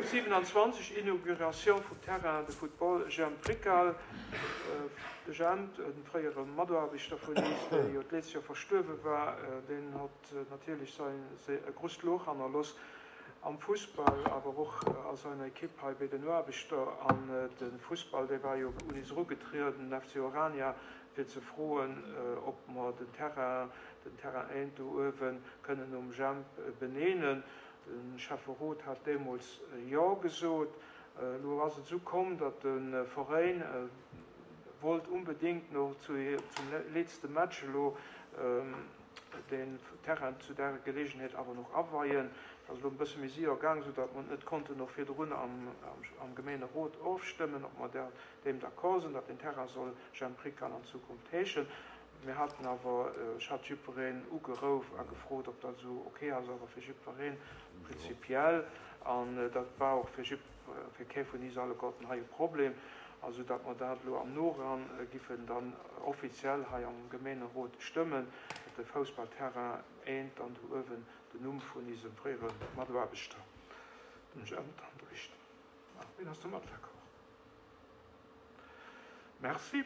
Punkt 27, Inauguration vum Terrain de football Jemp Rickal. De Jemp, de fréiere Mataarbechter vun is, dee jo d'letzcht Joer verstuerwe war, deen hott natierlech säin e grosst Loch hannerloss am Fussball, awer och a seiner Ekipp hei béi den Aarbechter. An de Fussball, dee war jo un is erugetrieden, den FC Orania, fir ze froen, ob mer den Terrain, den Terrain 1 do uewen, kënnen nom Jemp beneenen. De Schäfferot hat deemools Jo gesot. Elo ass et esou komm, datt de Veräin wollt unbedéngt no zum letzte Match elo den Terrain zu där Gelegenheet awer nach aweien. Dat ass elo e bësse méi séier gaang, esou datt mer net konnten och virdrun am Gemeenerot ofstëmmen, ob mer deem d'accord sinn, datt den Terrain soll Jemp Rickan an Zukunft heeschen. Mir haten awer, ech hat jiddwereen ugerouf a gefrot, ob dat esou ok ass, awer fir jiddwereen prinzipiell, an dat war och fir jidd, fir kee vun is alleguerten hei e Problem, a sou datt mer dat elo am Noran giffen dann offiziell hei am Gemeenerot stëmmen, datt de Foussballterrain eent dann do uewen den Numm vun isem fréiere Mataarbechter, dem Jemp, dann dréit. Ween ass domat d'accord? Merci.